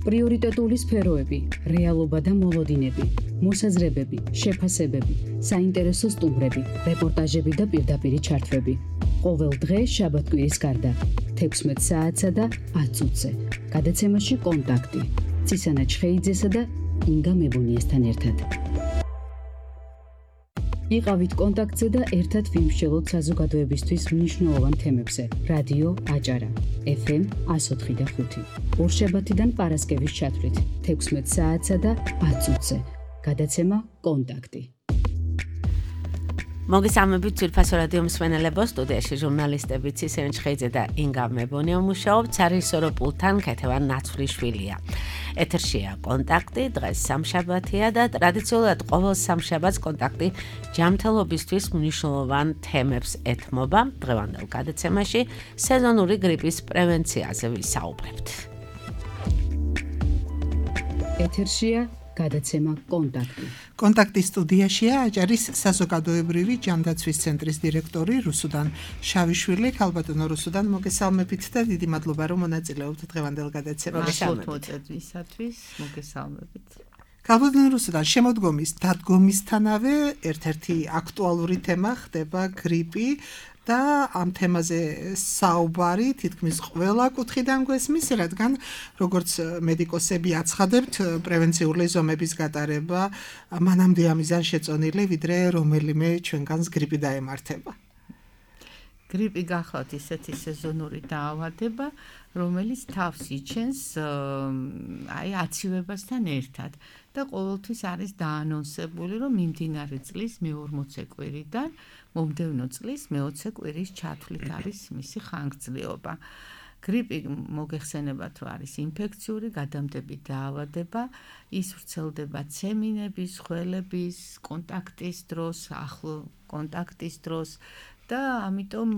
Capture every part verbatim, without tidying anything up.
პრიორიტეტული სფეროები, რეალობა და მოლოდინები, მოსაზრებები, შეფასებები, საინტერესო სტუმრები, რეპორტაჟები და პირდაპირი ჩართვები. ყოველ დღე შაბათ-კვირის გარდა, თექვსმეტ საათსა და ათ წუთზე. გადაცემაში კონტაქტი. ცისანა ჩხეიძესა და ინგა მებონიესთან ერთად. იყავით კონტაქტზე და ერთად ვიმსჯელოთ საზოგადოებისთვის მნიშვნელოვან თემებზე. რადიო აჭარა, ეფ ემ εκατო ოთხი და ხუთი. ორშაბათიდან პარასკევის ჩათვლით, თექვსმეტ საათსა და ათ წუთზე. გადაცემა კონტაქტი. მოგესალმებით ძვირფასო რადიო მსმენელებო, სტუდიაში ჟურნალისტები ცისანა ჩხეიძე და ინგა მებონია მუშაობთ, სარისორო პულტთან ქეთევან ნაცვლიშვილია. ეთერშია კონტაქტი, დღეს სამშაბათია და ტრადიციულად ყოველ სამშაბათს კონტაქტი ჯანმრთელობისთვის მნიშვნელოვან თემებს ეთმობა. დღევანდელ გადაცემაში სეზონური გრიპის პრევენციაზე ვისაუბრებთ. ეთერშია გადაცემა კონტაქტი. კონტაქტის სტუდიაშია აჭარის საზოგადოებრივი ჯანდაცვის ცენტრის დირექტორი რუსუდან შავიშვილი. ქალბატონო რუსუდან, მოგესალმებით და დიდი მადლობა რომ მონაწილეობთ დღევანდელ გადაცემაში. მოწვევისათვის მოგესალმებით. ქალბატონო რუსუდან, შემოდგომის დადგომისთანავე ერთ-ერთი აქტუალური თემა ხდება გრიპი და ამ თემაზე საუბარი თითქმის ყველა კუთხიდან გვესმის, რადგან როგორც მედიკოსები აცხადებთ, პრევენციული ზომების გატარება მანამდე ამიზან შეწონილი, ვიდრე რომელიმე ჩვენგანს გრიპი დაემართება. გრიპი გახლავთ ისეთი სეზონური დაავადება, რომელიც თავს იჩენს აი აცივებასთან ერთად და ყოველთვის არის დაანონსებული, რომ მიმდინარე წლის მეორმოცე კვირიდან მომდევნო წლის მეოცე კვირის ჩათვლით არის მისი ხანგრძლივობა. გრიპი მოგეხსენებათ, რომ არის ინფექციური გადამდები დაავადება, ის ვრცელდება ცემინების, ხველების, კონტაქტის დროს, ახლო კონტაქტის დროს და ამიტომ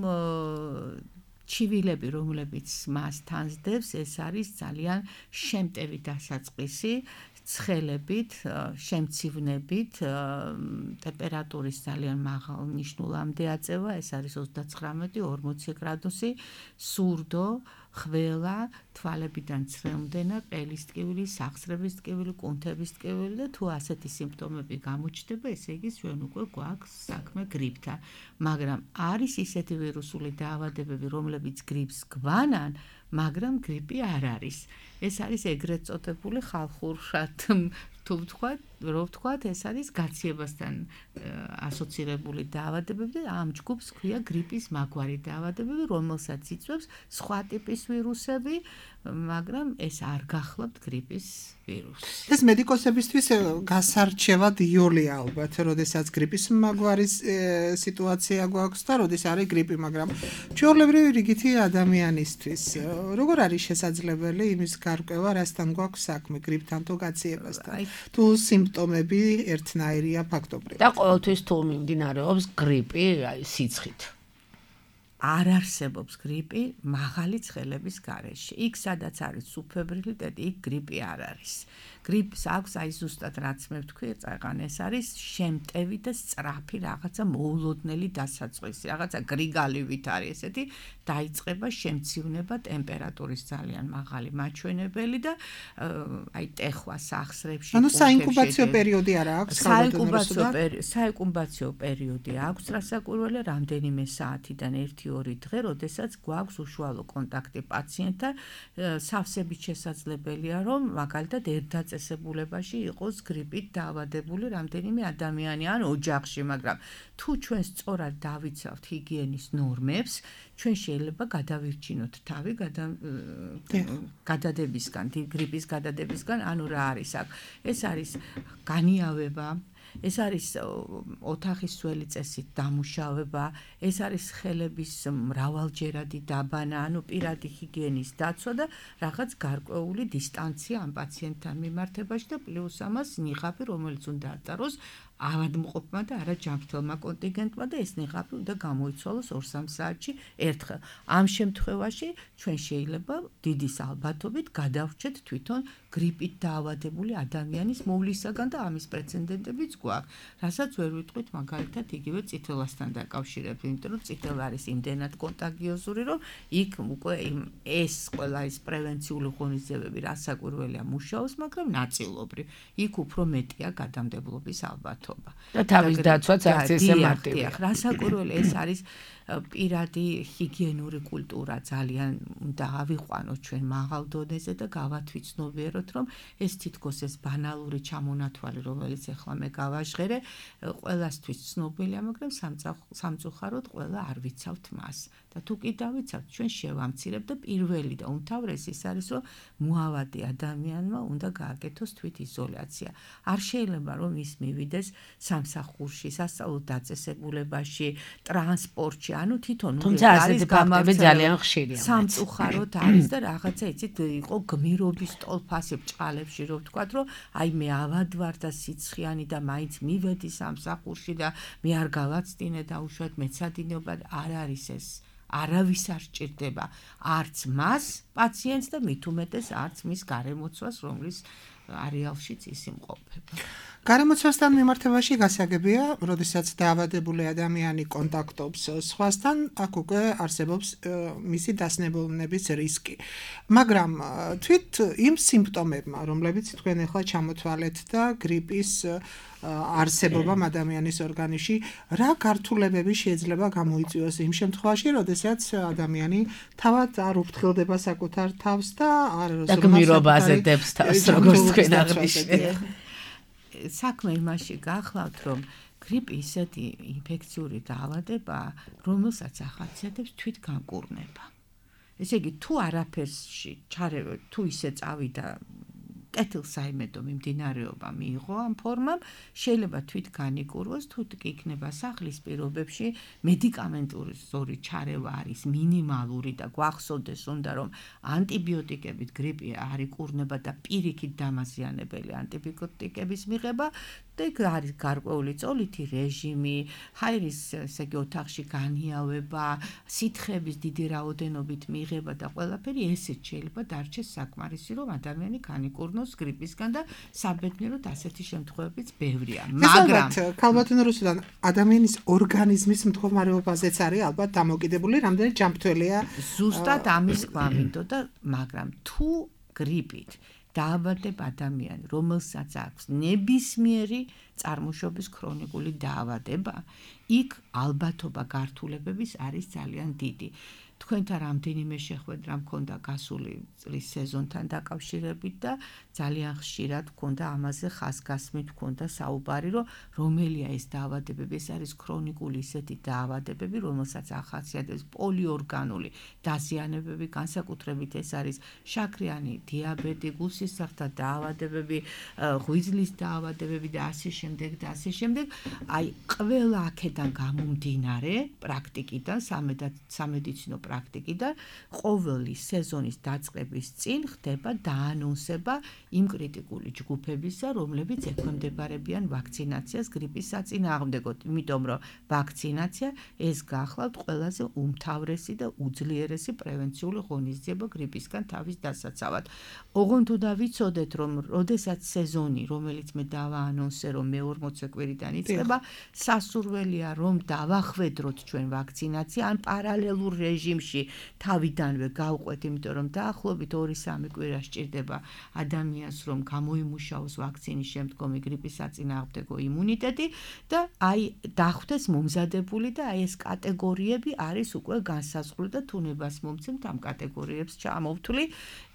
ჩივილები, რომლებიც მას თანსდებს, ეს არის ძალიან შემტევი დასაწყისი, ცხელებით, შემცივნებით, ტემპერატურის ძალიან მაღალ ნიშნულამდე აწევა, ეს არის ოცდაცხრამეტი ორმოცი გრადუსი, სურდო, ხველა, თვალებიდან ცრემლდენა, ყელის ტკივილი, სახსრების ტკივილი, კუნთების ტკივილი და თუ ასეთი სიმპტომები გამოჩნდება, ესე იგი ჩვენ უკვე გვაქვს საქმე გრიპთან. მაგრამ არის ისეთი ვირუსული დაავადებები, რომლებიც გრიპს გვანან, მაგრამ გრიპი არ არის. ეს არის ეგრეთ წოდებული ხალხურად თუ ვთქვათ, რო ვთქვათ, ეს არის გაციებასთან ასოცირებული დაავადებები და ამ ჯგუფს ქვია გრიპის მაგვარი დაავადებები, რომელსაც იწვევს სხვა ტიპის ვირუსები, მაგრამ ეს არ გახლავთ გრიპის ვირუსი. ეს მედიკოსებისთვის გასარჩევად იოლია ალბათ, როდესაც გრიპის მაგვარის სიტუაცია გვაქვს და როდის არის გრიპი, მაგრამ ჩვეულებრივი რიგითი ადამიანისთვის როგორ არის შესაძლებელი იმის გარკვევა, რასთან გვაქვს საქმე, გრიპთან თუ გაციებასთან? თუ სიმპტომები ერთნაირია ფაქტობრივად. და ყოველთვის თუ მიმდინარეობს გრიპი, აი სიცხით. არ არსებობს გრიპი მაღალი ცხელების გარეშე. იქ სადაც არის სუბფებრილიტეტი, იქ გრიპი არ არის. გრიპს აქვს აი ზუსტად რაც მე ვთქვი, წაიღან ეს არის შემტევი და სწრაფი რაღაცა მოულოდნელი დასაწყისი, რაღაცა გრიგალივით არის ესეთი, დაიწყება შემცივნება, ტემპერატურის ძალიან მაღალი მაჩვენებელი და აი ტეხვა სახსრებში. ანუ საინკუბაციო პერიოდი არა აქვს? საინკუბაციო პერიოდი, საინკუბაციო პერიოდი აქვს, რასაკვირველია, რამდენიმე საათიდან ერთი ორი დღე, როდესაც გვაქვს უშუალო კონტაქტი პაციენტთან, სავსებით შესაძლებელია, რომ მაგალითად ერთ დაწესებულებაში იყოს გრიპით დაავადებული რამდენიმე ადამიანი ან ოჯახში, მაგრამ თუ ჩვენ სწორად დავიცავთ ჰიგიენის ნორმებს, ჩვენ შეიძლება გადავირჩინოთ თავი გადადებისგან, გრიპის გადადებისგან, ანუ რა არის აქ? ეს არის განიავება, ეს არის ოთახის სველი წესით დამუშავება, ეს არის ხელების მრავალჯერადი დაბანა, ანუ პირადი ჰიგიენის დაცვა და რაღაც გარკვეული დისტანცია ამ პაციენტთან მიმართებაში და პლუს ამას ნიღაბი, რომელიც უნდა ატაროს ავადმყოფმა და არა ჯანმრთელმა კონტინგენტმა და ეს ნიღაბი უნდა გამოიცვალოს ორ-სამ საათში ერთხელ. ამ შემთხვევაში ჩვენ შეიძლება დიდის ალბათობით გადავრჩეთ თვითონ გრიპით დაავადებული ადამიანის მოვლისაგან და ამის პრეცედენტებიც გვაქვს. რასაც ვერ ვიტყვით მაგალითად იგივე წითელასთან დაკავშირებით, იმიტომ რომ წითელი არის იმდენად კონტაგიოზური, რომ იქ უკვე ეს ყველა ის პრევენციული ღონისძიებები რასაკვირველია მუშაობს, მაგრამ ნაწილობრივ იქ უფრო მეტია გადამდებლობის ალბათობა. და თავის დაცვაც არც ესე მარტივია. რასაკვირველი ეს არის პირადი ჰიგიენური კულტურა ძალიან უნდა ავიყვანოთ ჩვენ მაღალ დონეზე და გავათვიცნობიეროთ, რომ ეს თითქოს ეს ბანალური ჩამონათვალი, რომელიც ახლა მე გავაჟღერე, ყველასთვის ცნობილია, მაგრამ სამწუხაროდ ყველა არ ვიცავთ მას. და თუ კი დავიცავთ, ჩვენ შევამცირებთ და პირველი და უმთავრესი ის არის, რომ მოავადი ადამიანმა უნდა გააკეთოს თვითიზოლაცია. არ შეიძლება რომ ის მივიდეს სამსახურში, სასწავლო დაწესებულებაში, ტრანსპორტში, ანუ თვითონ თუმცა ასეთი ფაქტები ძალიან ხშირია. სამწუხაროდ არის და რაღაცა იცით იყო გმირობის ტოლფასი ბჭყალებში რომ ვთქვათ, რომ აი მე ავად ვარ და სიცხიანი და მაინც მივედი სამსახურში და მე არ გავაცდინე და უშუალოდ მეცადინეობა არ არის ეს. არავის არ სჭირდება არც მას პაციენტს და მით უმეტეს არც მის გარემოცვას, რომლის არეალშიც ის იმყოფება. გარემოცვასთან მიმართებაში გასაგებია, როდესაც დაავადებული ადამიანი კონტაქტობს სხვასთან, აქ უკვე არსებობს მისი დასნებულნების რისკი. მაგრამ თვით იმ სიმპტომებმა, რომლებიც თქვენ ახლა ჩამოთვალეთ და გრიპის არსებობამ ადამიანის ორგანიზმში, რა გართულებები შეიძლება გამოიწვიოს იმ შემთხვევაში, როდესაც ადამიანი თავად არ უფრთხილდება საკუთარ თავს და არ გმირობაზე დებს თავს, როგორც თქვენ აღნიშნეთ. საქმე იმაში გახლავთ, რომ გრიპი ისეთი ინფექციური დაავადებაა, რომელსაც ახასიათებს თვითგანკურნება. ესე იგი, თუ არაფერსში ჩარევა, თუ ისე წავიდა კეთილსაიმედო მიმდინარეობა მიიღო ამ ფორმამ, შეიძლება თვით განიკურვოს, თუ კი იქნება სახლის პირობებში მედიკამენტური ზორი ჩარევა არის მინიმალური და გვახსოვდეს უნდა რომ ანტიბიოტიკებით გრიპი არ იკურნება და პირიქით დამაზიანებელი ანტიბიოტიკების მიღება და იქ არის გარკვეული წოლითი რეჟიმი, ჰაერის ესე იგი ოთახში განიავება, სითხების დიდი რაოდენობით მიღება და ყველაფერი ესეც შეიძლება დარჩეს საკმარისი, რომ ადამიანი განიკურნოს გრიპისგან და საბედნიეროდ ასეთი შემთხვევებიც ბევრია. მაგრამ ქალბატონ რუსუდან ადამიანის ორგანიზმის მდგომარეობაზეც არის ალბათ დამოკიდებული, რამდენი ჯანმრთელია. ზუსტად ამის გვამინდო და მაგრამ თუ გრიპით დაავადებ ადამიანი, რომელსაც აქვს ნებისმიერი წარმოშობის ქრონიკული დაავადება, იქ ალბათობა გართულებების არის ძალიან დიდი. თქვენთან რამდენიმე შეხვედრა მქონდა გასული წლის სეზონთან დაკავშირებით და ძალიან ხშირად მქონდა ამაზე ხაზგასმით მქონდა საუბარი, რომ რომელია ეს დაავადებები, ეს არის ქრონიკული ისეთი დაავადებები, რომელსაც ახასიათებს პოლიორგანული დაზიანებები, განსაკუთრებით ეს არის შაქრიანი დიაბეტი, გულსისხლთა დაავადებები, ღვიძლის დაავადებები და ასე შემდეგ და ასე შემდეგ. აი, ყველა აქედან გამომდინარე პრაქტიკიდან, სამედიცინო პრაქტიკიდან ყოველი სეზონის დაწყების წინ ხდება დაანონსება იმ კრიტიკული ჯგუფებისა, რომლებიც ექვემდებარებიან ვაქცინაციას გრიპის საწინააღმდეგოდ, იმიტომ რომ ვაქცინაცია ეს გახლავთ ყველაზე უმთავრესი და უძლიერესი პრევენციული ღონისძიება გრიპისგან თავის დასაცავად. ოღონდ უნდა ვიცოდეთ, რომ როდესაც სეზონი, რომელიც მე დავაანონსე, რომ მეორმოცე კვირიდან იწყება, სასურველია რომ დავახვედროთ ჩვენ ვაქცინაცია ან პარალელურ რეჟიმში თავიდანვე გავყვეთ, იმიტომ რომ დაახლოებით ორი-სამი კვირა სჭირდება ადამიანს, რომ გამოიმუშაოს ვაქცინის შემდგომი გრიპის საწინააღმდეგო იმუნიტეტი და აი დახვდეს მომზადებული და აი ეს კატეგორიები არის უკვე განსაზღვრული და თუნებას მომცემთ ამ კატეგორიებს ჩამოვთვლი.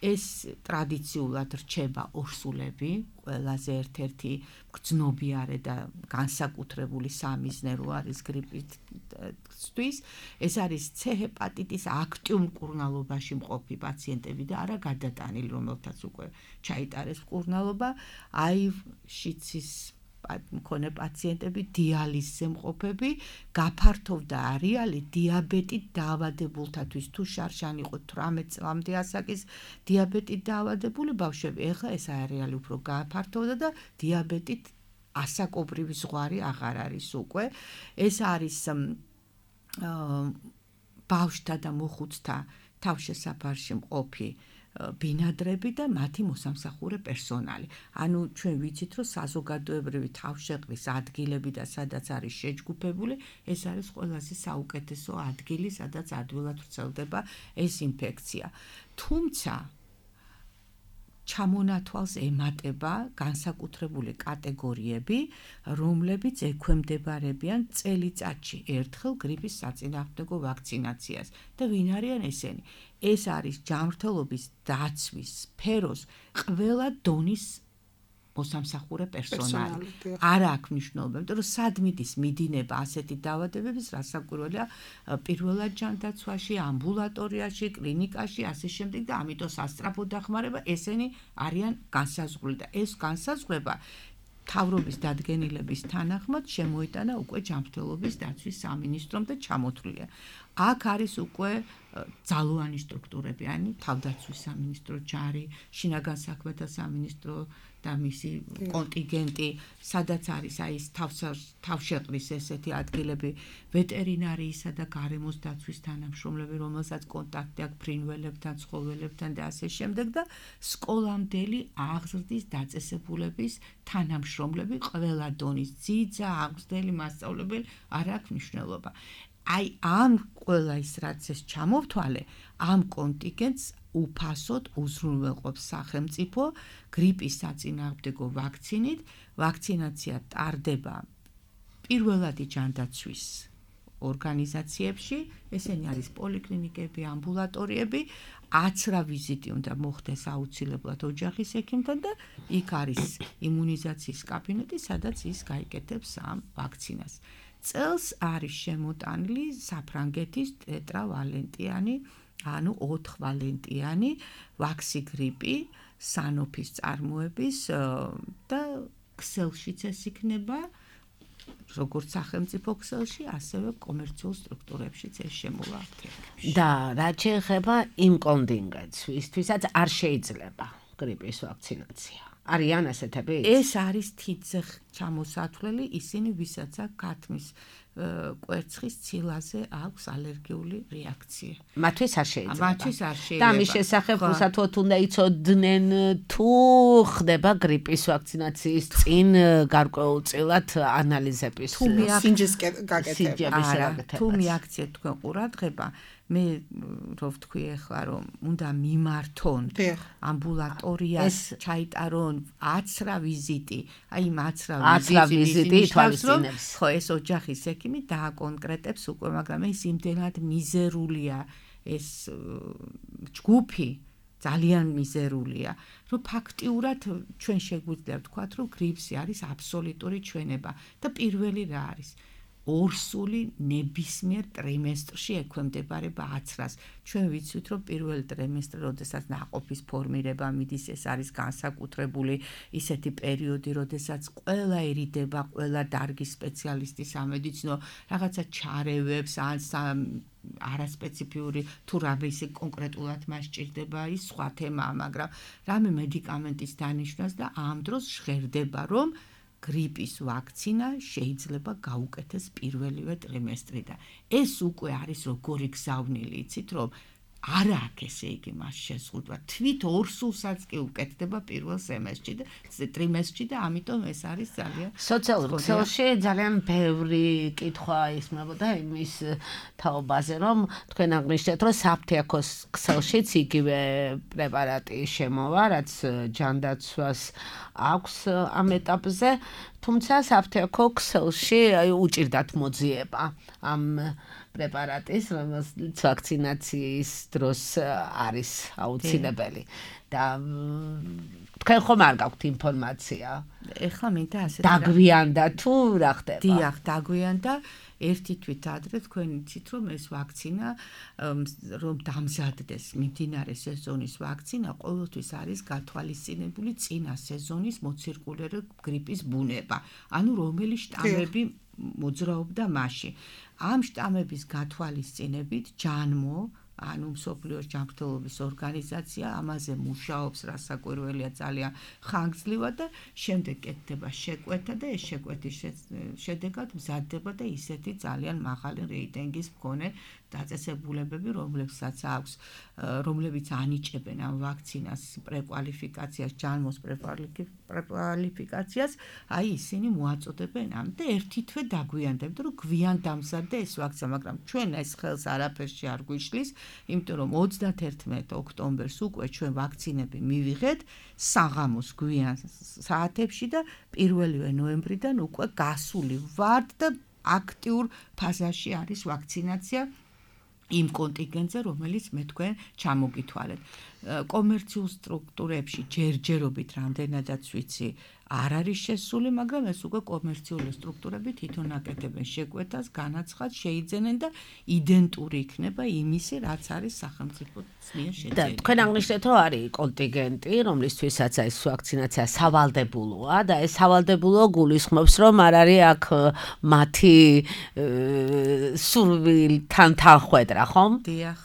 ეს ტრადიციულად რჩება ორსულები, ყველაზე ერთ-ერთი გრძნობიარე და განსაკუთრებული სამიზნერო არის გრიპისთვის. ეს არის C ჰეპატიტის აქტიურ მკურნალობაში მყოფი პაციენტები და არა გადატანილი, რომელთაც უკვე ჩაიტარეს მკურნალობა. აი შიცის მქონე პაციენტები, დიალიზზე მყოფები, გაფართოვდა არეალი დიაბეტით დაავადებულთათვის, თუ შარშან იყო თვრამეტ წლამდე ასაკის დიაბეტით დაავადებული ბავშვები, ეხლა ეს არეალი უფრო გაფართოვდა და დიაბეტით ასაკობრივი ზღვარი აღარ არის უკვე. ეს არის ბავშვთა და მოხუცთა თავშესაფარში მყოფი ბინადრები და მათი მოსამსახურე პერსონალი. ანუ ჩვენ ვიცით, რომ საზოგადოებრივი თავშეყრის ადგილები და სადაც არის შეჯგუფებული, ეს არის ყველაზე საუკეთესო ადგილი, სადაც ადვილად ვრცელდება ეს ინფექცია. თუმცა ჩამონათვალს ემატება განსაკუთრებული კატეგორიები, რომლებიც ექვემდებარებიან წელიწადში ერთხელ გრიპის საწინააღმდეგო ვაქცინაციას. და ვინ არიან ესენი? ეს არის ჯანმრთელობის დაცვის სფეროს ყველა დონის მოსამსახურე პერსონალი. არ აქვს მნიშვნელობა, იმიტომ რომ სად მიდის მიდინება ასეთი დაავადებების, რასაკვირველია, პირველად ჯანდაცვაში, ამბულატორიაში, კლინიკაში, ასე შემდეგ და ამიტომ სასწრაფო დახმარება ესენი არიან განსაზღვრული და ეს განსაზღვრება მთავრობის დადგენილების თანახმად შემოიტანა უკვე ჯანმრთელობის დაცვის სამინისტრომ და ჩამოთვლილია. აქ არის უკვე ძალოვანი სტრუქტურები, ანუ თავდაცვის სამინისტრო ჯარი, შინაგან საქმეთა სამინისტრო და მისი კონტინგენტი, სადაც არის აი ეს თავშეყრის ესეთი ადგილები, ვეტერინარიისა და გარემოს დაცვის თანამშრომლები, რომელსაც კონტაქტი აქვს ფრინველებთან, ცხოველებთან და ასე შემდეგ და სკოლამდელი აღზრდის დაწესებულების თანამშრომლები, ყველა დონის ძიძა, აღმზრდელი, მასწავლებელი, არ აქვს მნიშვნელობა. აი ამ ყველა ის რაც ეს ჩამოვთვალე, ამ კონტინგენტს უფასოდ უზრუნველყოფს სახელმწიფო გრიპის საწინააღმდეგო ვაქცინით. ვაქცინაცია ტარდება პირველადი ჯანდაცვის ორგანიზაციებში, ესენი არის პოლიკლინიკები, ამბულატორიები, აცრა ვიზიტი უნდა მოხდეს აუცილებლად ოჯახის ექიმთან და იქ არის იმუნიზაციის კაბინეტი, სადაც ის გაიკეთებს ამ ვაქცინას. წელს არის შემოტანილი საფრანგეთის ტეტრავალენტიანი, ანუ ოთხვალენტიანი ვაქსი გრიპი, სანოფის წარმოების და ქსელშიც ეს იქნება, როგორც სახელმწიფო ქსელში, ასევე კომერციულ სტრუქტურებშიც ეს შემოვა. და რაც შეეხება იმ კონტინგენტს, ვისთვისაც არ შეიძლება გრიპის ვაქცინაცია. არიან ასეთები? ეს არის თითზე ჩამოსათვლელი, ისინი ვისაც აქვს ქათმის კვერცხის ცილაზე აქვს ალერგიული რეაქცია. მათთვის არ შეიძლება. მათთვის არ შეიძლება. და ამის შესახებ უსათოდ უნდა იცოდნენ თუ ხდება გრიპის ვაქცინაციის წინ გარკვეულწილად ანალიზების სინჯის გაკეთება. თუ მიაქციეთ თქვენ ყურადღება, მე რო ვთქვი ახლა რომ უნდა მიმართონ ამბულატორიას, ჩაიტარონ აცრა ვიზიტი, აი იმ აცრა ვიზიტი ითვალისწინებს. ხო, ეს ოჯახის ექიმი დააკონკრეტებს უკვე, მაგრამ ეს იმდენად მიზერულია ეს ჯგუფი, ძალიან მიზერულია, რომ ფაქტიურად ჩვენ შეგვიძლია ვთქვათ, რომ გრიპსი არის აბსოლუტური ჩვენება და პირველი რა არის? ორსული ნებისმიერ ტრიმესტრში ექვემდებარება აცრას. ჩვენ ვიცით, რომ პირველი ტრიმესტრი, როდესაც ნაყოფის ფორმირება მიდის, ეს არის განსაკუთრებული ისეთი პერიოდი, როდესაც ყველა ერიდება, ყველა დარგის სპეციალისტი სამედიცინო რაღაცა ჩარევებს, ან არასპეციფიური თუ რამე ისე კონკრეტულად მას სჭირდება, ის სხვა თემაა, მაგრამ რამე მედიკამენტის დანიშვნას და ამ დროს ჟღერდება, რომ გრიპის ვაქცინა შეიძლება გაუკეთეს პირველივე ტრიმესტრიდან. ეს უკვე არის როგორი გზავნილი, იცით, რომ არა აქვს ესე იგი მას შეზღუდვა. თვით ორსულსაც კი უკეთდება პირველ სემესტრში და ტრიმესტრში და ამიტომ ეს არის ძალიან სოციალურ ქსელში ძალიან ბევრი კითხვა ისმებოდა იმის თაობაზე, რომ თქვენ აღნიშნეთ, რომ საფთიაქოს ქსელშიც იგივე პრეპარატი შემოვა, რაც ჯანდაცვას აქვს ამ ეტაპზე, თუმცა საფთიაქო ქსელში უჭირდათ მოძიება ამ პრეპარატის, რომელიც ვაქცინაციის დროს არის აუცილებელი და თქვენ ხომ არ გაქვთ ინფორმაცია? ეხლა მინდა ასე დაგვიანდა თუ რა ხდება? დიახ, დაგვიანდა. ერთი თვით ადრე თქვენ იცით, რომ ეს ვაქცინა რომ დამზადდეს მიმდინარე სეზონის ვაქცინა, ყოველთვის არის გათვალისწინებული წინა სეზონის მოცირკულური გრიპის ბუნება, ანუ რომელი შტამები მოძრაობდა მასში. ამ შტამების გათვალისწინებით ჯანმო, ანუ მსოფლიოს ჯანმრთელობის ორგანიზაცია ამაზე მუშაობს, რასაკვირველია ძალიან ხანგრძლივად და შემდეგ კეთდება შეკვეთა და ეს შეკვეთის შედეგად მზადდება და ისეთი ძალიან მაღალი რეიტინგის მქონე დაწესებულებები, რომლებსაც აქვს, რომლებიც ანიჭებენ ამ ვაქცინას პრეკვალიფიკაციას, ჯანმოს პრეკვალიფიკაციას, აი ისინი მოაწოდებენ ამ და ერთი თვე დაგვიანდებთ, რომ გვიან დამზადდა ეს ვაქცინა, მაგრამ ჩვენ ეს ხელს არაფერში არ გვიშლის, იმიტომ რომ ოცდაათერთმეტ ოქტომბერს უკვე ჩვენ ვაქცინები მივიღეთ საღამოს გვიან საათებში და პირველივე ნოემბრიდან უკვე გასული ვართ და აქტიურ ფაზაში არის ვაქცინაცია იმ კონტინგენტზე, რომელიც მე თქვენ ჩამოგითვალეთ. კომერციულ სტრუქტურებში ჯერჯერობით რამდენადაც ვიცი არ არის შესული, მაგრამ ეს უკვე კომერციული სტრუქტურები თვითონ აკეთებენ შეკვეთას, განაცხადს შეიძენენ და იდენტური იქნება იმისი, რაც არის სახელმწიფოს მიერ შეძენილი. და თქვენ აღნიშნეთ, რომ არის კონტინგენტი, რომლისთვისაც ეს ვაქცინაცია სავალდებულოა და ეს სავალდებულო გულისხმობს, რომ არ არის აქ მათი სურვილთან თანხვედრა, ხომ? დიახ.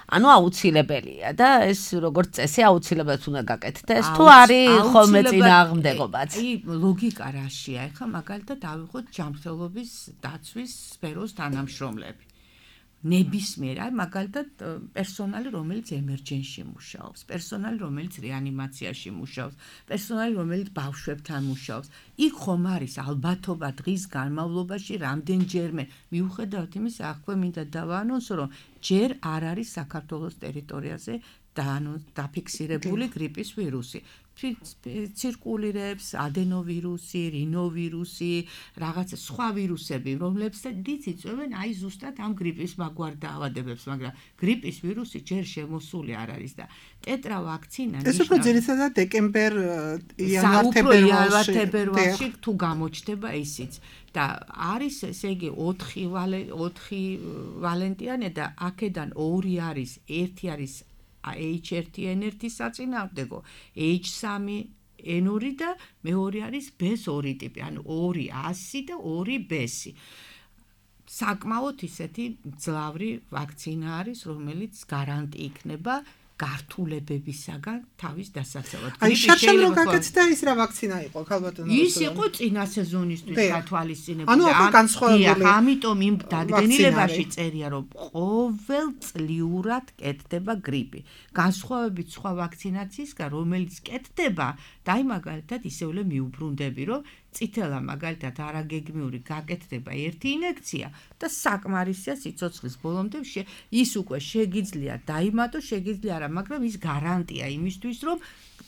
ანუ აუცილებელია და ეს როგორც წესი აუცილებლად უნდა გაკეთდეს თუ არის ხოლმე წინააღმდეგობაც. აი ლოგიკა რაშია? ეხლა მაგალითად ავიღოთ ჯანმრთელობის დაცვის სფეროს თანამშრომლები. ნებისმიერ, აი მაგალითად პერსონალი, რომელიც ემერჯენსში მუშაობს, პერსონალი, რომელიც რეანიმაციაში მუშაობს, პერსონალი, რომელიც ბავშვებთან მუშაობს. იქ ხომ არის ალბათობა დღის განმავლობაში რამდენჯერმე მიუხედავად იმისა, აქვე მინდა დავაანონსო, რომ ჯერ არ არის საქართველოს ტერიტორიაზე დაფიქსირებული გრიპის ვირუსი. ცირკულირებს ადენოვირუსი, რინოვირუსი, რაღაც სხვა ვირუსები, რომლებსაც იწვევენ აი ზუსტად ამ გრიპის მაგვარ დაავადებებს, მაგრამ გრიპის ვირუსი ჯერ შემოსული არ არის და ტეტრა ვაქცინა ეს უფრო ძირითადად დეკემბერ იანვარ-თებერვალში თუ გამოჩნდება ისიც და არის ესე იგი ოთხი ვალენტიანი და აქედან ორი არის, ერთი არის H one N one საწინააღმდეგო, H three N two და მეორე არის B two ტიპი, ანუ ორი ას და ორი B-ი. საკმაოდ ისეთი მძლავრი ვაქცინა არის, რომელიც გარანტი იქნება გართულებებისაგან თავის დასაცავად. აი შარშან რო გაკეთდა ის რა ვაქცინა იყო, ქალბატონო? ის იყო წინა სეზონისთვის გათვალისწინებული. ანუ აქ განსხვავებული. ამიტომ იმ დადგენილებაში წერია, რომ ყოველწლიურად კეთდება გრიპი. განსხვავებით სხვა ვაქცინაციისგან, რომელიც კეთდება, და აი მაგალითად ისევლე მიუბრუნდები, რომ წითელა მაგალითად არაგეგმიური გაკეთდება ერთი ინექცია და საკმარისია სიცოცხლის ბოლომდე ის უკვე შეგიძლია დაიმატო, შეგიძლია არა, მაგრამ ის გარანტია იმისთვის, რომ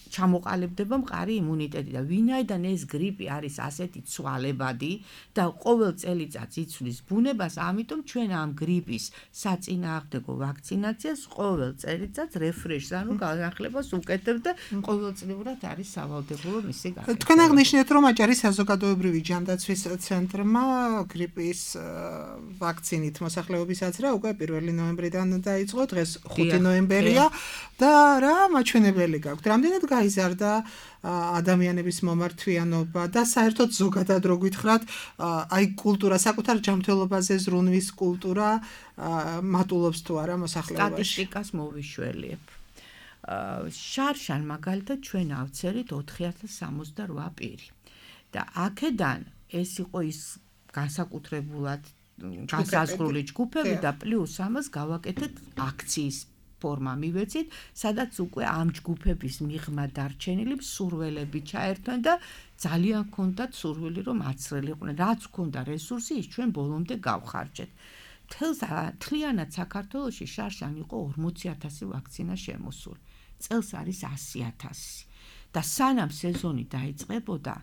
ჩამოყალიბდება მყარი იმუნიტეტი და ვინაიდან ეს გრიპი არის ასეთი ცვალებადი და ყოველ წელიწადს იცვლის ბუნებას, ამიტომ ჩვენ ამ გრიპის საწინააღმდეგო ვაქცინაციას ყოველ წელიწადს რეფრეშს, ანუ განახლებას უკეთებთ და ყოველწლიურად არის სავალდებულო მისი გაკეთება. თქვენ აღნიშნეთ, რომ აჭარის საზოგადოებრივი ჯანდაცვის ცენტრმა გრიპის ვაქცინით მოსახლეობის აზრა უკვე პირველი ნოემბრიდან დაიწყო, დღეს ხუთი ნოემბერია და რა მაჩვენებელი გაქვთ? რამდენად გაიზარდა ადამიანების მომართვიანობა და საერთოდ ზოგადად რო გითხრათ, აი კულტურა, საკუთარ ჯანმრთელობაზე ზრუნვის კულტურა მატულობს თუ არა მოსახლეობაში? სტატისტიკას მოვიშველიებ. შარშან მაგალითად ჩვენ ავწერით ოთხი ათას სამოცდარვა პირი. და აქედან ეს იყო ის განსაკუთრებულად განსაზღვრული ჯგუფები და პლუს ამას გავაკეთეთ აქციის ფორმა მივეცით, სადაც უკვე ამ ჯგუფების მიღმა დარჩენილი მსურველები ჩაერთვენ და ძალიან ჰქონდათ სურვილი, რომ აცრელიყვნენ. რაც ჰქონდა რესურსი, ის ჩვენ ბოლომდე გავხარჯეთ. თლიანად საქართველოში შარშან იყო ორმოცი ათასი ვაქცინა შემოსული. წელს არის ასი ათასი. და სანამ სეზონი დაიწყებოდა,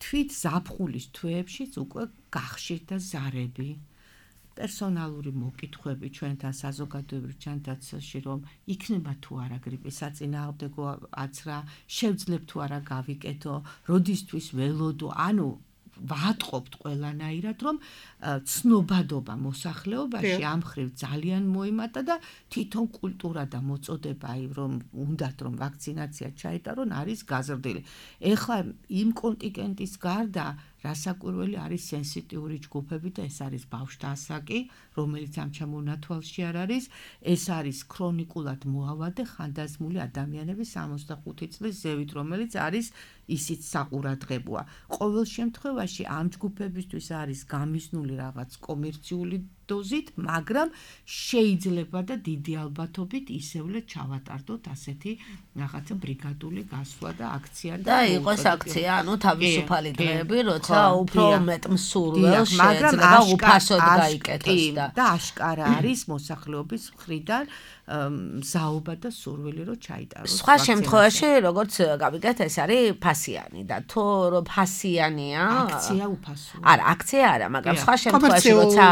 თვით ზაფხულის თვეებშიც უკვე გახშირდა ზარები. პერსონალური მოკითხვები ჩვენთან საზოგადოებრივ ჯანდაცვაში, რომ იქნება თუ არა გრიპის საწინააღმდეგო აცრა, შევძლებთ თუ არა გავიკეთო, როდისთვის ველოდო, ანუ ვატყობთ ყველანაირად, რომ ცნობადობა მოსახლეობაში ამ ხრივ ძალიან მოიმატა და თვითონ კულტურა და მოწოდება, აი რომ უნდათ რომ ვაქცინაცია ჩაეტარონ, არის გაზრდილი. ეხლა იმ კონტინგენტის გარდა რასაკვირველი არის სენსიტიური ჯგუფები და ეს არის ბავშვთა ასაკი, რომელიც ამ ჩამონათვალში არ არის, ეს არის ქრონიკულად მოავადე ხანდაზმული ადამიანების სამოცდახუთი წლის ზევით, რომელიც არის ისიც საყურადღებოა. ყოველ შემთხვევაში ამ ჯგუფებისთვის არის გამიზნული რაღაც კომერციული დოზით, მაგრამ შეიძლება და დიდი ალბათობით ისევლე ჩავატარდოთ ასეთი რაღაცა ბრიგადული გასვლა და აქცია და იყოს აქცია, ანუ თავისუფალი დღეები, როცა უფრო მეტ მსურველს მაგრამ შეიძლება უფასოდ გაიკეთოს და და აშკარა არის მოსახლეობის მხრიდან მზაობა და სურვილი რომ ჩაიტაროს. სხვა შემთხვევაში, როგორც გავიგეთ, ეს არის ფასიანი და თუ რომ ფასიანია, აქცია უფასოა. არა, აქცია არა, მაგრამ სხვა შემთხვევაში, როცა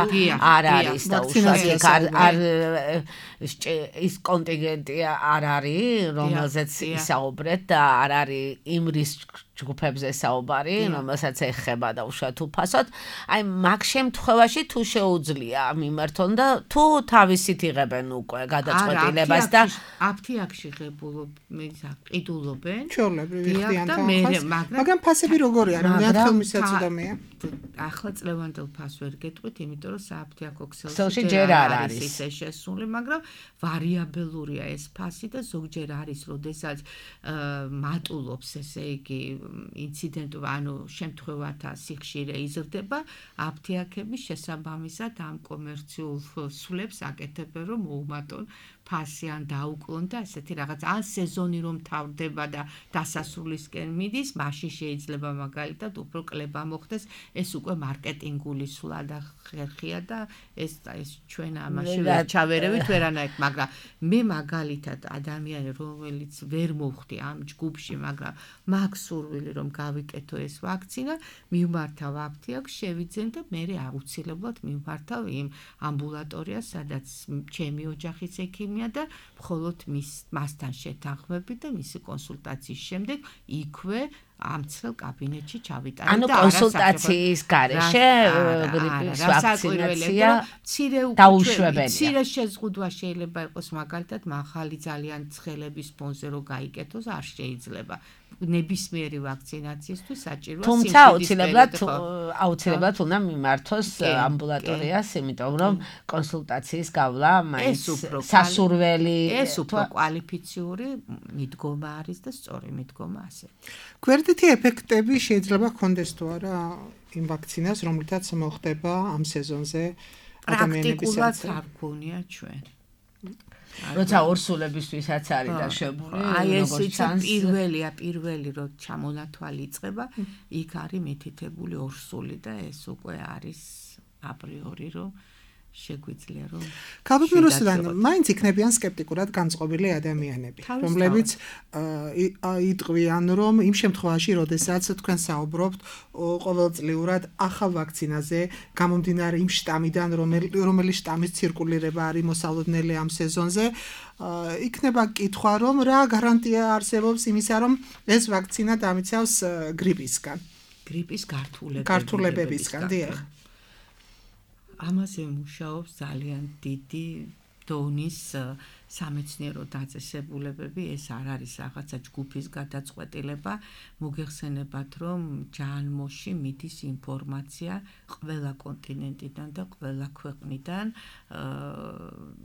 არ არის და უშუალოდ არ არ ის კონტინგენტი არ არის, რომელზეც ისაუბრეთ და არ არის იმ რისკ ჯგუფებზე საუბარი, რომელსაც ეხება და უშუალოდ უფასოდ, აი მაგ შემთხვევაში თუ შეუძლია მიმართონ და თუ თავისით იღებენ უკვე გადაწყვეტილებას და აფთიაქში ღებულობენ, ყიდულობენ, ჩვეულებრივი ხდიან თანხას, მაგრამ ფასები როგორია, რამდენად ხელმისაწვდომია? ახლა წლევანდელ ფასს ვერ გეტყვით, იმიტომ რომ სააფთიაქო ქსელში ჯერ არ არის ისე შესული, მაგრამ ვარიაბელურია ეს ფასი და ზოგჯერ არის, როდესაც მატულობს, ესე იგი ინციდენტი, ანუ შემთხვევათა სიხშირე იზრდება, აფთიაქების შესაბამისად ამ კომერციულ სულებს აკეთებენ, რომ მოუმატონ ფასი ან დაუკლონ და ესეთი რაღაც ან სეზონი რომ თავდება და დასასრულისკენ მიდის, მაშინ შეიძლება მაგალითად უფრო კლება მოხდეს, ეს უკვე მარკეტინგული სულა და ხერხია და ეს ეს ჩვენ ამაში ვერ ჩავერევით ვერანაირ, მაგრამ მე მაგალითად ადამიანი რომელიც ვერ მოვხდი ამ ჯგუფში, მაგრამ მაქვს სურვილი რომ გავიკეთო ეს ვაქცინა, მივმართავ აფთიაქს, შევიძენ და მე აუცილებლად მივმართავ იმ ამბულატორიას, სადაც ჩემი ოჯახის ექიმი და მხოლოდ მის მასთან შეთანხმები და მისი კონსულტაციის შემდეგ იქვე ამცრელ კაბინეტში ჩავიტანე და ანუ კონსულტაციის გარეშე გრიპის ვაქცინაცია დაუშვებელია. მცირე შეზღუდვა შეიძლება იყოს მაგალითად მაღალი ძალიან ცხელების ფონზე რომ გაიკეთოს, არ შეიძლება. ნებისმიერი ვაქცინაციისთვის საჭიროა სიმშვიდის თუმცა აუცილებლად აუცილებლად უნდა მიმართოს ამბულატორიას, იმიტომ რომ კონსულტაციის გავლა მაინც სასურველი ეს უფრო კვალიფიციური მიდგომა არის და სწორი მიდგომა ასე. გვერდითი ეფექტები შეიძლება ჰქონდეს თუ არა იმ ვაქცინას, რომლითაც მოხდება ამ სეზონზე ადამიანების პრაქტიკულად არ გქონია ჩვენ. როცა ორსულებისთვისაც არის დაშვებული, აი ეს პირველია, პირველი რო ჩამონათვალი იწყება, იქ არის მითითებული ორსული და ეს უკვე არის აპრიორი რომ შეგვიძლია რომ გავიგნუროსთან მაინც იქნებიან სკეპტიკურად განწყობილი ადამიანები, რომლებიც იტყვიან, რომ იმ შემთხვევაში, როდესაც თქვენ საუბრობთ ყოველწლიურად ახალ ვაქცინაზე, გამომდინარე იმ შტამიდან, რომელი შტამის ცირკულირება არის მოსალოდნელი ამ სეზონზე, იქნება კითხვა, რომ რა გარანტია არსებობს იმისა, რომ ეს ვაქცინა დამიცავს გრიპისგან. გრიპის გართულებებისგან, დიახ. ამაზე მუშაობს ძალიან დიდი დონის სამეცნიერო დაწესებულებები, ეს არ არის რაღაცა ჯგუფის გადაწყვეტილება, მოგეხსენებათ, რომ ჯანმოში მიდის ინფორმაცია ყველა კონტინენტიდან და ყველა ქვეყნიდან,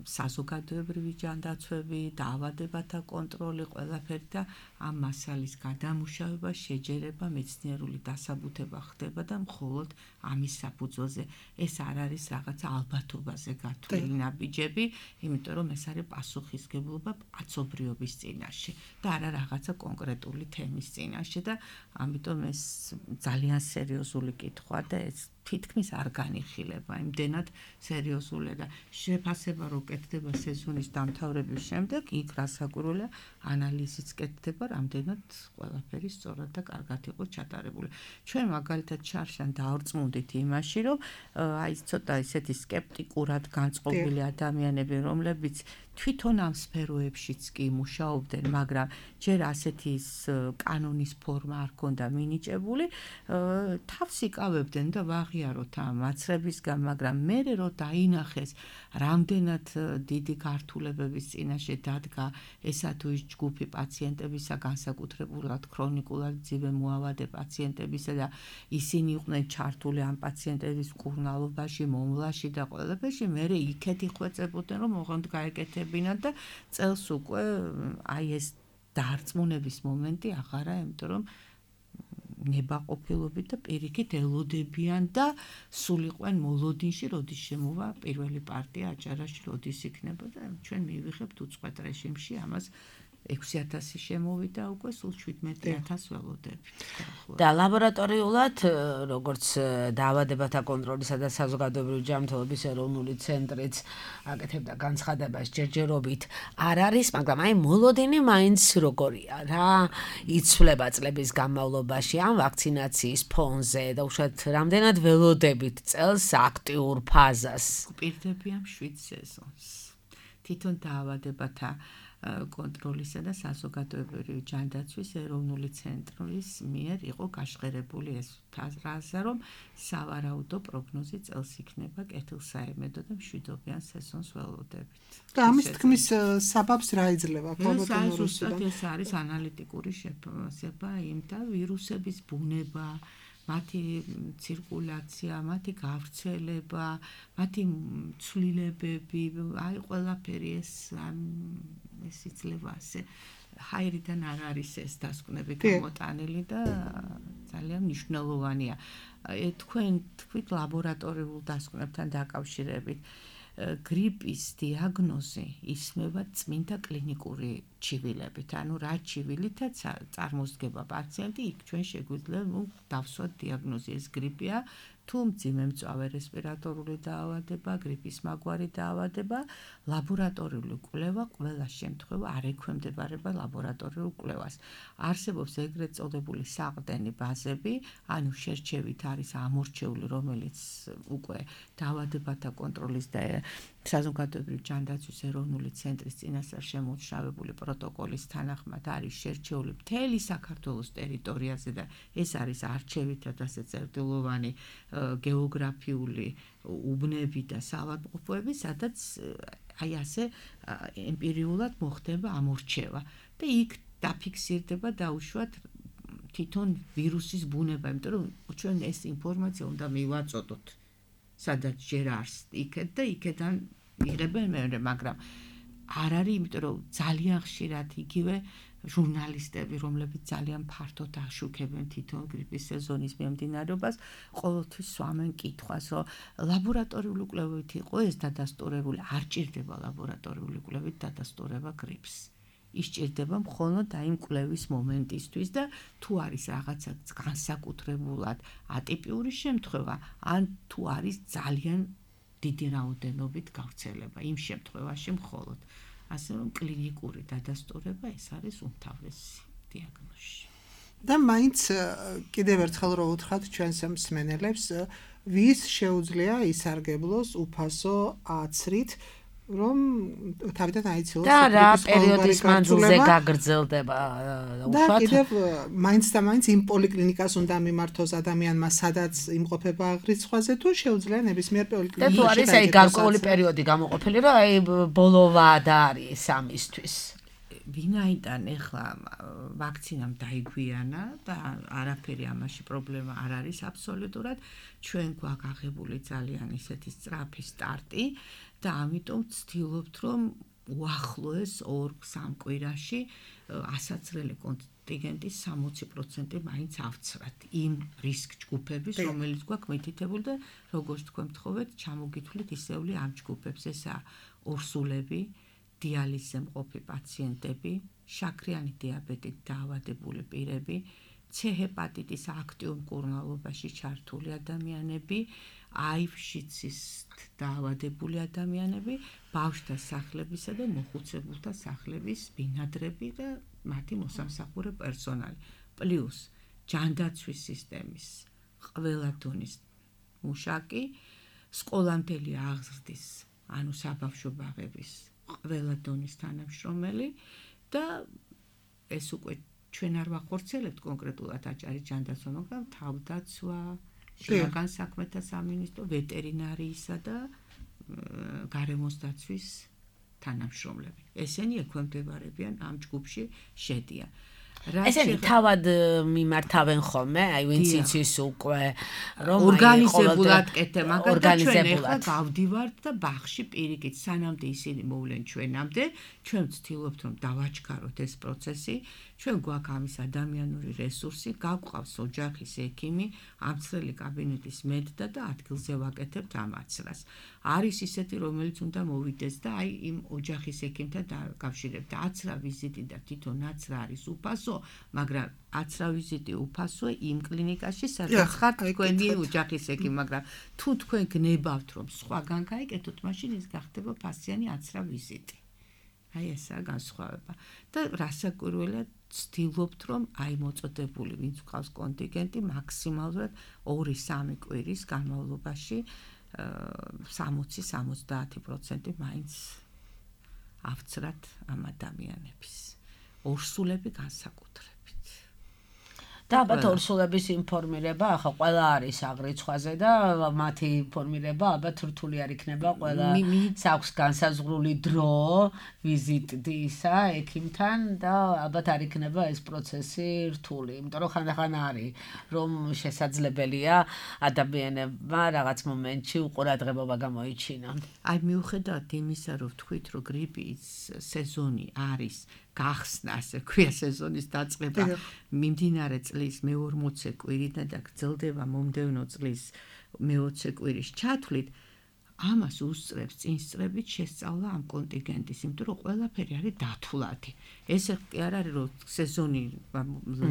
საზოგადოებრივი ჯანდაცვები, დაავადებათა კონტროლი, ყველაფერი და ამ მასალის გადამუშავება, შეჯერება, მეცნიერული დასაბუთება ხდება და მხოლოდ ამის საფუძველზე. ეს არ არის რაღაცა ალბათობაზე გათვლილი ნაბიჯები, იმიტომ რომ ეს არის პასუხისგებლობა კაცობრიობის წინაშე და არა რაღაცა კონკრეტული თემის წინაშე და ამიტომ ეს ძალიან სერიოზული კითხვაა და ეს თითქმის არ განიხილება, იმდენად სერიოზულია და შეფასება რო კეთდება სეზონის დამთავრების შემდეგ, იქ რასაკვირველია ანალიზიც კეთდება, რამდენად ყველაფერი სწორად და კარგად იყო ჩატარებული. ჩვენ მაგალითად შარშან დაორწმუნდით იმაში, რომ აი ცოტა ისეთი სკეპტიკურად განწყობილი ადამიანები, რომლებიც თვითონ ამ სფეროებშიც კი მუშაობდნენ, მაგრამ ჯერ ასეთი კანონის ფორმა არ ქონდა მინიჭებული, თავს იკავებდნენ და ვაღი აღიაროთ ამ მაცრებისგან, მაგრამ მე რო დაინახეს რამდენად დიდი გართულებების წინაშე დადგა ესა თუ ის ჯგუფი პაციენტებისა, განსაკუთრებულად ქრონიკულად მძიმე მოავადე პაციენტებისა და ისინი იყვნენ ჩართული ამ პაციენტების მკურნალობაში, მომვლაში და ყველაფერში, მე იქეთ იხვეწებოდნენ, რომ ოღონდ გაეკეთებინათ და წელს უკვე აი ეს დარწმუნების მომენტი აღარა, იმიტომ რომ ნებაყოფილობით და პირიქით ელოდებიან და სულ იყვენ მოლოდინში, როდის შემოვა პირველი პარტია აჭარაში, როდის იქნება და ჩვენ მივიღებთ უწყვეტ რეჟიმში ამას ექვსი ათასი შემოვიდა უკვე სულ შვიდმეტი ათასი ველოდებით. და ლაბორატორიულად, როგორც დაავადებათა კონტროლისა და საზოგადოებრივი ჯანმრთელობის ეროვნული ცენტრიც აკეთებდა განცხადებას ჯერჯერობით არ არის, მაგრამ აი მოლოდინი მაინც როგორია რა, იცვლება წლების განმავლობაში ამ ვაქცინაციის ფონზე და უშუალოდ რამდენად ველოდებით წელს აქტიურ ფაზას. გვპირდები ამ შვიდ სეზონს. თვითონ დაავადებათა კონტროლისა და საზოგადოებრივი ჯანდაცვის ეროვნული ცენტრის მიერ იყო გაშღერებული ეს ფაზა, რომ სავარაუდო პროგნოზი წელს იქნება კეთილსაიმედო და მშვიდობიან სეზონს ველოდებით. და ამის თქმის საბაბს რა იძლევა ქობოტონურუსიდან? ეს არის ანალიტიკური შეფასება იმ და ვირუსების ბუნება, მათი ცირკულაცია, მათი გავრცელება, მათი ცვლილებები, აი ყველაფერი ეს ეს იძლევა ასე ჰაერიდან არ არის ეს დასკვნები გამოტანილი და ძალიან მნიშვნელოვანია. თქვენ თქვით ლაბორატორიულ დასკვნებთან დაკავშირებით გრიპის დიაგნოზი ისმება წმინდა კლინიკური ჩივილებით, ანუ რა ჩივილითაც წარმოსდგება პაციენტი, იქ ჩვენ შეგვიძლია დავსვათ დიაგნოზი, ეს გრიპია თუ მძიმე მწვავე რესპირატორული დაავადება, გრიპის მაგვარი დაავადება, ლაბორატორიული კვლევა ყველა შემთხვევა არ ექვემდებარება ლაბორატორიულ კვლევას. არსებობს ეგრეთ წოდებული საყრდენი ბაზები, ანუ შერჩევით არის ამორჩეული, რომელიც უკვე დაავადებათა კონტროლის და საზოგადოებრივი ჯანდაცვის ეროვნული ცენტრის წინასწარ შემუშავებული პროტოკოლის თანახმად არის შერჩეული მთელი საქართველოს ტერიტორიაზე და ეს არის არჩევითად ასე წერტილოვანი გეოგრაფიული უბნები და საავადმყოფოები, სადაც აი ასე ემპირიულად მოხდება ამორჩევა და იქ დაფიქსირდება დაუშვათ თვითონ ვირუსის ბუნება, იმიტომ რომ ჩვენ ეს ინფორმაცია უნდა მივაწოდოთ, სადაც ჯერ არის იქეთ და იქიდან იღებენ მეორე, მაგრამ არ არის, იმიტომ რომ ძალიან ხშირად იგივე ჟურნალისტები, რომლებიც ძალიან ფართოდ აშუქებენ თვითონ გრიპის სეზონის მიმდინარეობას, ყოველთვის სვამენ კითხვას, რომ ლაბორატორიული კვლევით იყო ეს დადასტურებული, არ ჭირდება ლაბორატორიული კვლევით დადასტურება გრიპს. ისჭირდება მხოლოდ აი იმ კვლევის მომენტისთვის და თუ არის რაღაცა განსაკუთრებულად ატიპიური შემთხვევა, ან თუ არის ძალიან დიდი რაოდენობით გავრცელება, იმ შემთხვევაში მხოლოდ. ასე რომ კლინიკური დადასტურება ეს არის უმთავრესი დიაგნოზი. და მაინც კიდევ ერთხელ რო უთხრათ ჩვენს მსმენელებს, ვის შეუძლია ისარგებლოს უფასო აცრით, რომ თავიდან აიცილოს და რა პერიოდის მანძილზე გაგრძელდება უშუალოდ და კიდევ მაინც და მაინც იმ პოლიკლინიკას უნდა მიმართოს ადამიანმა, სადაც იმყოფება აღრიცხვაზე, თუ შეუძლია ნებისმიერ პოლიკლინიკაში. და თუ არის აი გარკვეული პერიოდი გამოყოფილი, რომ აი ბოლოვა და არის ამისთვის. ვინაიდან ეხლა ვაქცინამ დაიგვიანა და არაფერი ამაში პრობლემა არ არის აბსოლუტურად, ჩვენ გვაქვს აღებული ძალიან ისეთი სწრაფი სტარტი და ამიტომ ვცდილობთ, რომ უახლოეს ორ სამ კვირაში ასაცრელი კონტინგენტის სამოცი პროცენტი მაინც ავცრათ იმ რისკ ჯგუფების, რომელიც გვაქვს მითითებული და როგორც თქვენ მთხოვეთ, ჩამოგითვლით ისეული ამ ჯგუფებს, ესაა ორსულები, დიალიზზე მყოფი პაციენტები, შაქრიანი დიაბეტით დაავადებული პირები, C ჰეპატიტის აქტიურ მკურნალობაში ჩართული ადამიანები, აივ-შიცის დაავადებული ადამიანები, ბავშვთა სახლებისა და მოხუცებულთა სახლების ბინადრები და მათი მოსამსახურე პერსონალი, პლუს ჯანდაცვის სისტემის ყველა დონის მუშაკი, სკოლამდელი აღზრდის, ანუ საბავშვო ბაღების ყველა დონის თანამშრომელი და ეს უკვე ჩვენ არ ვახორციელებთ კონკრეტულად აჭარის ჯანდაცვა, მაგრამ თავდაცვა, შინაგან საქმეთა სამინისტრო, ვეტერინარიისა და გარემოს დაცვის თანამშრომლები. ესენი ექვემდებარებიან ამ ჯგუფში შედიან. ესენი თავად მიმართავენ ხოლმე, აი ვინც იცის უკვე რომ ორგანიზებულად კეთე, მაგალითად ჩვენ ახლა გავდივართ და ბაღში პირიქით სანამდე ისინი მოვლენ ჩვენამდე, ჩვენ ვცდილობთ რომ დავაჩქაროთ ეს პროცესი, ჩვენ გვაქვს ამის ადამიანური რესურსი, გავყავს ოჯახის ექიმი, ამცრელი კაბინეტის მედდა და ადგილზე ვაკეთებთ ამ აცრას. არის ისეთი, რომელიც უნდა მოვიდეს და აი იმ ოჯახის ექიმთან დაკავშირებთ. აცრა ვიზიტი და თვითონ აცრა არის უფასო, მაგრამ აცრა ვიზიტი უფასოა იმ კლინიკაში, სადაც ხართ თქვენი ოჯახის ექიმი, მაგრამ თუ თქვენ გნებავთ რომ სხვაგან გაიკეთოთ, მაშინ ის გახდება ფასიანი აცრა ვიზიტი. აი ესაა განსხვავება. და რასაკვირველია ვცდილობთ რომ აი მოწოდებული ვინც გვყავს კონტინგენტი მაქსიმალურად ორი სამი კვირის განმავლობაში სამოცი სამოცდაათი პროცენტი მაინც ავცრათ ამ ადამიანების ორსულები განსაკუთრებით. და ალბათ ორსულების ინფორმირება ახლა ყველა არის აღრიცხვაზე და მათი ინფორმირება ალბათ რთული არ იქნება ყველა საქვს განსაზღვრული დრო ვიზიტისა ექიმთან და ალბათ არ იქნება ეს პროცესი რთული, იმიტომ რომ ხანდახან არის რომ შესაძლებელია ადამიანებმა რაღაც მომენტში უყურადღებობა გამოიჩინონ. აი მიუხედავად იმისა, რომ ვთქვით, რომ გრიპის სეზონი არის გახსნა, ასე ქვია სეზონის დაწყება მიმდინარე წლის მეორმოცე კვირიდან და გრძელდება მომდევნო წლის მეოცე კვირის ჩათვლით, ამას უსწრებს წინსწრებით შესწავლა ამ კონტინგენტის, იმიტომ რომ ყველაფერი არის დათვლადი. ეს კი არ არის რომ სეზონი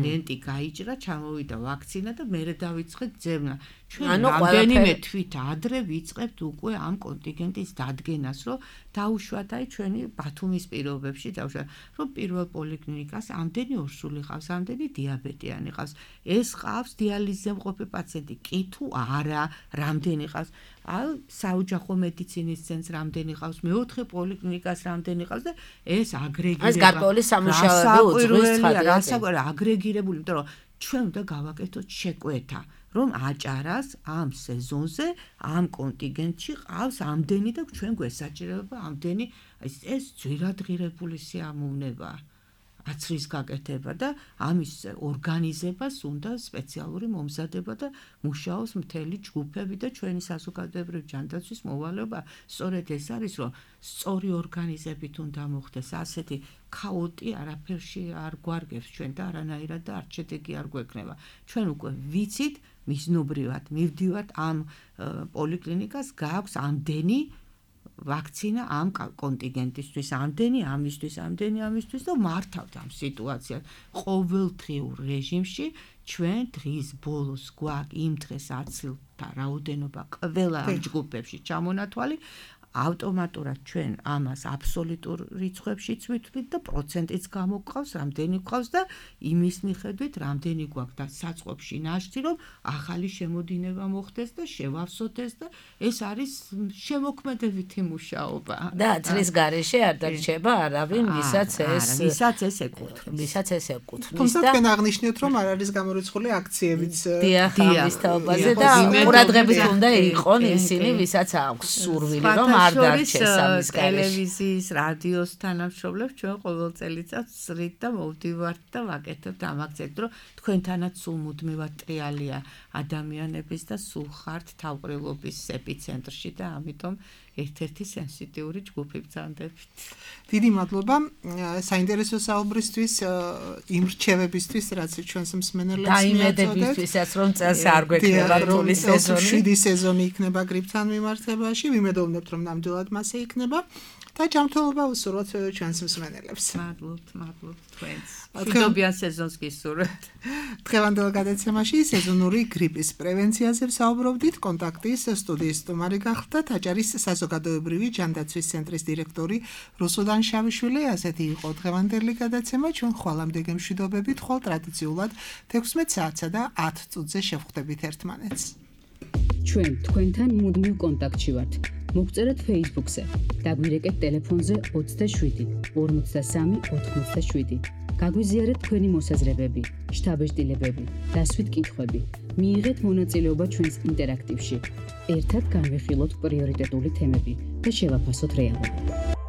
ლენტი გაიჭრა, ჩამოვიდა ვაქცინა და მერე დავიწყეთ ძებნა. ჩვენ რამდენიმე თვით ადრე ვიწყებთ უკვე ამ კონტინგენტის დადგენას, რომ დაუშვათ აი ჩვენი ბათუმის პირობებში დავუშვათ, რომ პირველ პოლიკლინიკას ამდენი ორსული ყავს, ამდენი დიაბეტიანი ყავს. ეს ყავს დიალიზზე მყოფი პაციენტი, კი თუ არა, რამდენი ყავს. აი საოჯახო მედიცინის ცენტრს რამდენი ყავს, მეოთხე პოლიკლინიკას რამდენი ყავს და ეს აგრეგირება. ეს გარკვეული სამუშაოები უძღვის ცხადია. რასაკვირველია აგრეგირებული, იმიტომ რომ ჩვენ უნდა გავაკეთოთ შეკვეთა, რომ აჭარას ამ სეზონზე, ამ კონტინგენტში ყავს ამდენი და ჩვენ გვესაჭიროება ამდენი, ეს ძვირადღირებული სიამოვნებაა. აცრის გაკეთება და ამის ორგანიზებას უნდა სპეციალური მომზადება და მუშაობს მთელი ჯგუფები და ჩვენი საზოგადოებრივი ჯანდაცვის მოვალეობა სწორედ ეს არის, რომ სწორი ორგანიზებით უნდა მოხდეს, ასეთი ქაოტი არაფერში არ გვარგებს ჩვენ და არანაირად და არც შედეგი არ გვექნება. ჩვენ უკვე ვიცით მიზნობრივად მივდივართ ამ პოლიკლინიკას გააქვს ამდენი ვაქცინა ამ კონტინგენტისთვის, ამდენი ამისთვის, ამდენი ამისთვის და მართავთ ამ სიტუაციას. ყოველდღიურ რეჟიმში ჩვენ დღის ბოლოს გვაქვს იმ დღეს აცილთა რაოდენობა ყველა ამ ჯგუფებში ჩამონათვალი, ავტომატურად ჩვენ ამას აბსოლუტურ რიცხვებშიც ვითვლით და პროცენტიც გამოგვყავს, რამდენი გვყავს და იმის მიხედვით რამდენი გვაქვს და საწყობში ნაშთი, რომ ახალი შემოდინება მოხდეს და შევავსოთ ეს და ეს არის შემოქმედებითი მუშაობა. და აცრის გარეშე არ დარჩება არავინ, ვისაც ეს ვისაც ეს ეკუთვნის. ვისაც ეს ეკუთვნის. თუმცა თქვენ აღნიშნეთ, რომ არ არის გამორიცხული აქციებიც დიახ, ამის თაობაზე და ყურადღებით უნდა იყონ ისინი, ვისაც აქვს სურვილი, რომ არ დარჩეს ამის გარეშე. ტელევიზიის, რადიოს თანამშრომლებს ჩვენ ყოველ წელიწადს ვსრით და მოვდივართ და ვაკეთებთ ამ აქციებს, რომ თქვენთანაც სულ მუდმივად ტრიალია ადამიანების და სულ ხართ თავყრილობის ეპიცენტრში და ამიტომ ერთ-ერთი სენსიტიური ჯგუფი ბრძანდებით. დიდი მადლობა საინტერესო საუბრისთვის, იმ რჩევებისთვის, რაც ჩვენს მსმენელებს მიაწოდეთ. დაიმედებისთვისაც რომ წელს არ გვექნება რთული სეზონი. შვიდი სეზონი იქნება გრიპთან მიმართებაში, ვიმედოვნებთ რომ ნამდვილად მასე იქნება და ჯანმრთელობა უსურვოთ ჩვენს მსმენელებს. მადლობთ, მადლობთ თქვენს. მშვიდობიან სეზონს გისურვებთ. დღევანდელ გადაცემაში სეზონური გრიპის პრევენციაზე ვსაუბრობდით. კონტაქტის სტუდიის სტუმარი გახლდათ აჭარის საზოგადოებრივი ჯანდაცვის ცენტრის დირექტორი რუსუდან შავიშვილი. ასეთი იყო დღევანდელი გადაცემა. ჩვენ ხვალამდე გემშვიდობებით, ხვალ ტრადიციულად თექვსმეტ საათსა და ათ წუთზე შევხვდებით ერთმანეთს. ჩვენ თქვენთან მუდმივ კონტაქტში ვართ. მოგწერეთ Facebook-ზე, დაგვირეკეთ ტელეფონზე ოცდაშვიდი ორმოცდასამი ოთხმოცდაშვიდი. გაგვიზიარეთ თქვენი მოსაზრებები, შთაბეჭდილებები, დასვით კითხვები. მიიღეთ მონაწილეობა ჩვენს ინტერაქტივში. ერთად განვიხილოთ პრიორიტეტული თემები და შევაფასოთ რეალობა.